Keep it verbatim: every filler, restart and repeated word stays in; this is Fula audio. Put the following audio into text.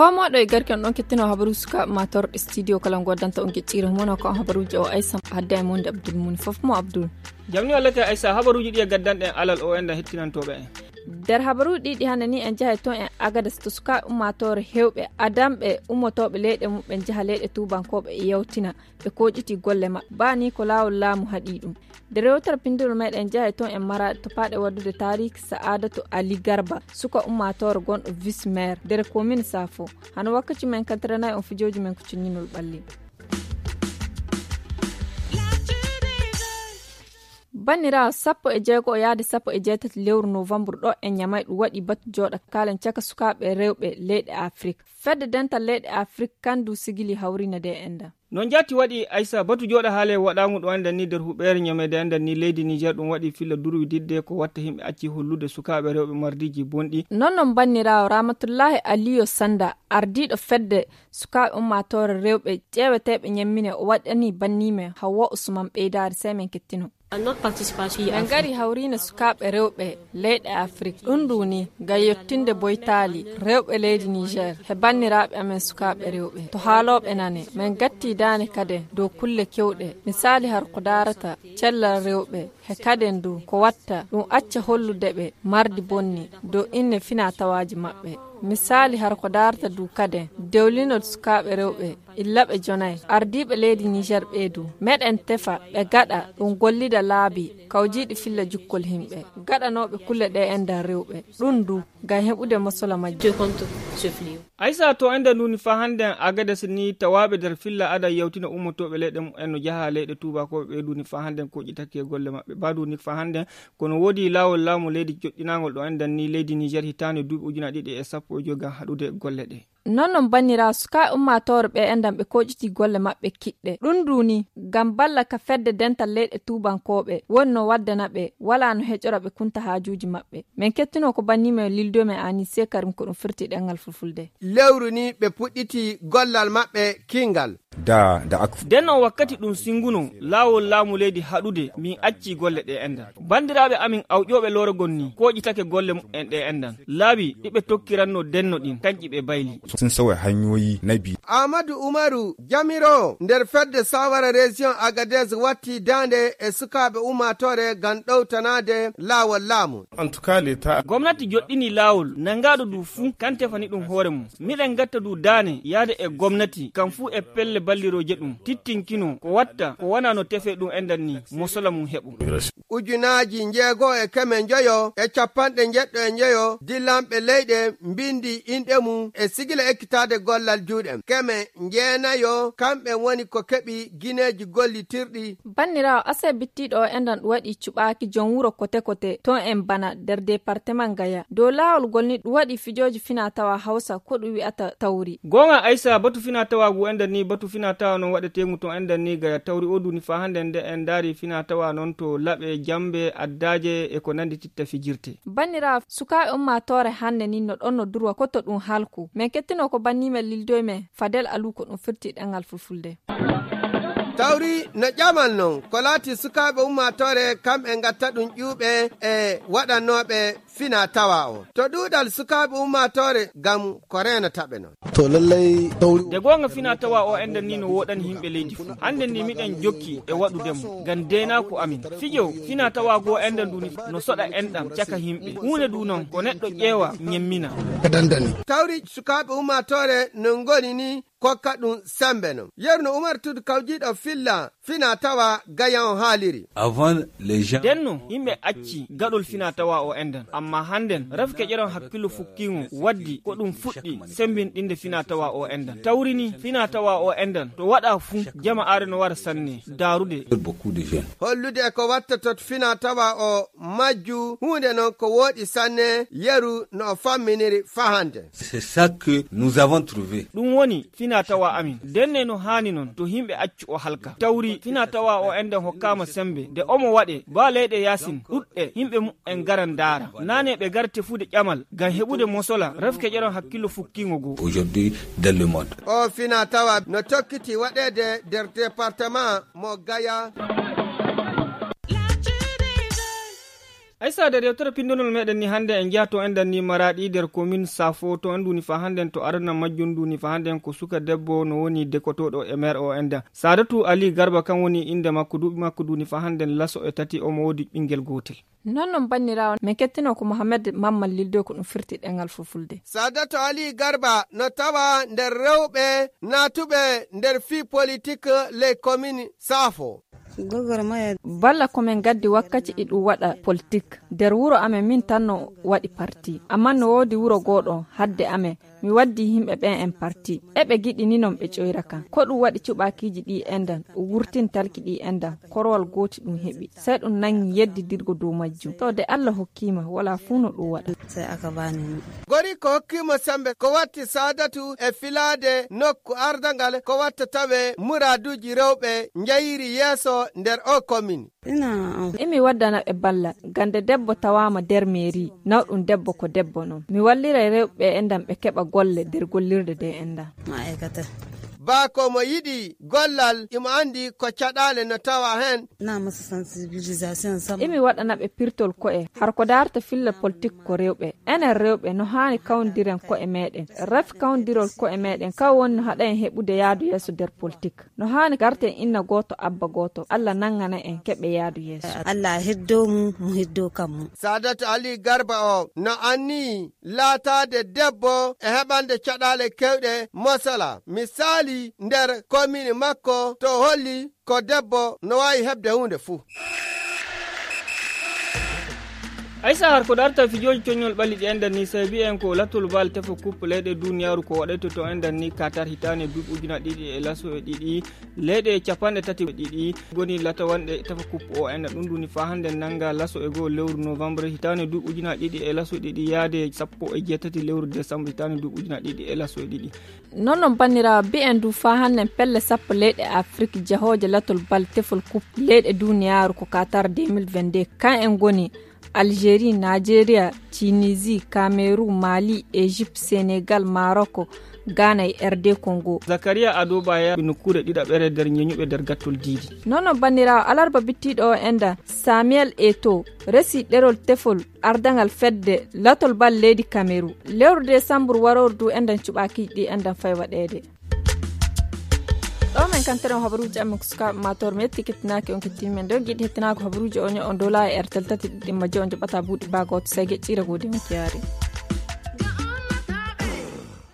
Ko moɗo e garke on ɗon kettino habaru suka matorɗe studio kala goddanta on geccire mono ko habaruji o Aissa hadda e monde Abdul Muni fof mo Abdul. Jamni wallata Aissa habaruji ɗi e gaddanɗen alal o enɗan hettinantoɓe en. Nder habaruji ɗiɗi hannde ni en jahay toon en Agadas to sukaaɓe ummaatoore heewɓe adamɓe ummotooɓe leyɗe mum ɓen njaha leyɗe tuubankooɓe e yewtina ɓe kooƴiti golle maɓɓe baa ni ko laawol laamu haɗi ɗum. Nde rewtere pinndol meɗen njahay toon en maraɗe to paaɗe waɗdude taariiki sa'aadatu Ali Garba suka ummaatoore gonɗo vis maire nder komin saafo. Hano wakkaci men kantiranayi on fijooji men ko cinninol ɓalli. Banniraawo sappo e jeego yaade sappo e jeetati lewru novembre ɗo e ñamay ɗum waɗi batu jooɗa kaalen caka sukaaɓe rewɓe leyɗe afrik. Fedde dental leyɗe afrik kandu sigili hawrina de enda. No njaati waɗi aysa batu jooɗa haale waɗaamu ɗo enda ni nder huɓeere ñamede enda ni leydi niger ɗum waɗi filla durwi didde ko watta himɓe acci hollude sukaaɓe rewɓe mardiji bonɗi. Non non banniraawo ramatullahi aliyo sanda ardiiɗo fedde sukaaɓe ummaatoore rewɓe ƴeeweteeɓe ñammine o waɗani bannimen hawwa usman ɓeydaari sey men kettino. Min ngari hawriino sukaaɓe rewɓe leyɗe afrik ɗum ndu ni ngam yettinde boytaali rewɓe leydi niger he banniraaɓe amen sukaaɓe rewɓe to haalooɓe nane min ngattii daane kadi dow kulle keewɗe misaali har ko daarata cellal rewɓe he kaden du ko watta ɗum acca hollude ɓe mardi bonni dow inne fina tawaaji maɓɓe. Misaali har ko daarta du kaden dewlinol sukaaɓe rewɓe illa ɓe jonay ardiiɓe leydi niger ɓee du meɗen tefa ɓe gaɗa ɗum gollida laabi kawjiiɗi filla jukkol himɓe gaɗanooɓe kulle ɗe e nder rewɓe ɗum du ngam heɓude mosola majjum. Aysa to enda nduni fa hande en agades ni tawaɓe nder filla ada yawtina ummotoɓe leyɗe mumen no jaha leyɗe tubakoɓe ɓe nduni fa hande en koƴitaki e golle maɓɓe ba nduni fa hande en kono woodi lawol laamu leydi joɗɗinagol ɗo endan ni leydi niger hitande duuɓi ujuna ɗiɗi e sappo e joyi ngam haɗude golle ɗe. Non non bannira suka ummatore ɓe endan ɓe koƴiti golle maɓɓe kiɗɗe ɗum nduni ngam balla ka fedde dental leyɗe tubankooɓe woni no waddana ɓe wala no heƴora ɓe kunta haajuuji maɓɓe. Min kettinoo ko bannimen lildomen ani sekarim ko ɗum firti ɗemngal fulfulde. Lewru ni ɓe puɗɗiti gollal maɓɓe kinngal. Da da ak. Nden on wakkati ɗum singuno laawol laamu leydi haɗude min acci golle ɗe endan banndiraaɓe amin awƴooɓe lorogol ni koƴitake golle mumen ɗe endan laabi ɗi ɓe tokkiranno denno ɗin kanƴi ɓe bayli. Sun sauya hanyoyi na biyu. Ahmadu Umaru jamiroowo nder fedde sawara région Agadez watti daande e sukaaɓe ummaatoore ngam ɗowtanaade laawol laamu. Gomnati joɗɗini laawol nangaaɗo du fuu kan tefani ɗum hoore mum. Miɗen ngatta du daane yaade e gomnati kam fuu e pelle ballirooje ɗum tittinkino ko watta ko wona no tefee ɗum endan ni mosola mum heɓo. Ujunaaji njeego e keme njoyo e capanɗe njeɗɗo e njoyo dillanɓe leyɗe mbindi inɗe mum e sigila ekkitaade gollal juuɗe keme njeenayo kamɓe woni ko keɓi gineeji gollitirɗi. Banniraawo ase bittiiɗo o endan ɗum waɗi cuɓaaki jom wuro kote kote toon en bana nder departement gaya dow laawol ngol ni ɗum waɗi fijooji fina tawa hawsa ko ɗum wi'ata tawri. Goonga aysa batu fina tawa ngu endan ni batu fina tawa noon waɗetee ngu toon endan ni gaya tawri o duni fa hande nde en ndaari fina tawa noon to laɓe jambe addaaje e ko nandi titta fijirte. Banniraawo sukaaɓe ummaatoore hannde ni no ɗon no durwa ko to ɗum halku min kettinoo ko bannimen lildoymen fadel alu ko ɗum firti ɗemngal fulfulde. Tawri no ƴamal non ko laati sukaaɓe ummaatoore kam e ngatta ɗum ƴuuɓe e waɗannooɓe fina tawa o to ɗuuɗal sukaaɓe ummaatoore ngam ko reenata ɓe non. To lallay tawri. Nde goonga fina tawa o enɗen ni no woɗani yimɓe leydi fuu annden ni miɗen jokki e waɗude mo ngam deenaaku amin fijo fina tawa goo enɗen ndu ni no soɗa enɗam caka yimɓe huunde ndu noon ko neɗɗo ƴeewa ñemmina. Tawri sukaaɓe ummaatoore no ngoni ni kokka ɗum sembe non yeru no umar tudu kawjiiɗo filla fina tawa gayan haaliri. Avant les gens. Ndenno yimɓe acci gaɗol fina tawa o endan amma hannden rafke ƴeron hakkillo fukkiŋo waddi ko ɗum fuɗɗi sembinɗinde fina tawa o endan tawrini fina tawa o endan to waɗa fuu jama are no wara sanne daarude. Hollude e ko watta to fina tawa o majju huunde non ko wooɗi sanne yeru no o famminiri fahande. C'est ça que nous avons trouvé. Ɗum woni fina tawa amin ndenne no haani non to yimɓe accu o halka tawri fina tawa o enɗen hokkaama sembe nde omo waɗe ba leyɗe yaasin ɗuɗɗe yimɓe mumen ngaran ndaara naane ɓe ngar tefude ƴamal ngam heɓude mosola rafke ƴeron hakkillo fukkiŋo goo. Aujourd'hui dans le monde. O fina tawa no tokkiti waɗeede nder département mo gaya. Esa nder yewtere pindonol meɗen ni hannde en njiya to enɗan ni maraɗi nder komin safo to en nduni fa hannden to arana majjum nduni fa hannden ko suka debbo no woni dekotooɗo e maire o enɗan sadatu ali garba kan woni innde makko duuɓi makko nduni fa hannden laso e tati omo woodi ɓinngel gootel. Non non banniraawo men kettino ko mohammed mammal lildoy ko ɗum firti ɗengal fulfulde. Sadatu ali garba no tawa nder rewɓe naatuɓe nder fii politik ley komin safo. Balla ko min ngaddi wakkati ɗi ɗum waɗa politik nder wuro amen min tan no waɗi parti amma no woodi wuro gooɗo hadde amen. Mi waddi yimɓe ɓen en parti eɓe giɗi ni non ɓe ƴoyra kan ko ɗum waɗi cuɓaakiiji ɗi enɗan wurtin talki ɗi enɗan korowal gooti ɗum heɓi sey ɗum nangi yeddidirgo dow majjum to de allah hokkiima wala fuu no ɗum waɗa. Gori ko hokkiima sembe ko watti saadatu e filaade nokku ardangal ko watta tawe muraaduuji rewɓe njayiri yeeso nder o komin. Imi waddana ɓe balla gande debbo tawaama nder meeri nawɗum debbo ko debbo non mi walliray rewɓe enɗan ɓe keɓa golle nder gollirde nde enɗan. Baa ko mo yiɗi gollal imo anndi ko caɗaale no tawa heen. Imi waɗana ɓe pirtol ko'e har ko daarta filla politik ko rewɓe enen rewɓe no haani kawndiren ko'e meɗen rafi kawndirol ko'e meɗen kaw woni no haɗa en heɓude yaadu yeeso nder politik. No haani garten inna gooto abba gooto allah nanngana en keɓe yaadu yeeso. Allah heddo mu mu heddo kammu. Saadatu ali garba o no anni laataade debbo e heɓande caɗaale kewɗe mosala misaali nder komini makko to holli ko debbo no waawi heɓde huunde fuu. Aysa har ko darta fijooji coñol ɓalli ɗi enɗan ni sabi en ko lattol bal tefa coupe leyɗe duniyaaru ko waɗayto to enɗan ni katar hitaane duuɓi ujuna ɗiɗi e laso e ɗiɗi leyɗe capanɗe tati e ɗiɗi goni latawanɗe tefa coupe o enɗan ɗum duni fa hannde nannga laso e goo lewru novembre hitaane duuɓi ujuna ɗiɗi e laso e ɗiɗi yaade sappo e jeetati lewru décembre hitaane duuɓi ujuna ɗiɗi e laso e ɗiɗi. Non non banniraawo mbiyen du faa hannden pelle sappo leyɗe afrik jahooje latol bal tefol coupe leyɗe duniyaaru ko qatar deux mille vingt-deux kan en ngoni algérie nigeria, tunisie, cameroun, mali, égypte, sénégal, maroc, ghana e rd congo. Zakaria adoba ya nokkuure ɗiɗaɓere nder ñeñuɓe nder gattol diidi. Non non banniraawo alarba bittiiɗo o enda samuel eto resi ɗerol tefol ardangal fedde latol bal leydi kameru. Lewru desambur warooru du enɗan cuɓaakiiji ɗi enɗan fay waɗeede. Ɗo men kantere on habaruuji amen ko sukaaɓe matoor mi yetti kettinaaki on kettini men ɗo giɗi hettinaako habaruuji o ño'on dow laawi airtel tati ɗiɗi majjo on joɓata buuɗi baa gooto sey geƴƴiira goodi on kiyaari.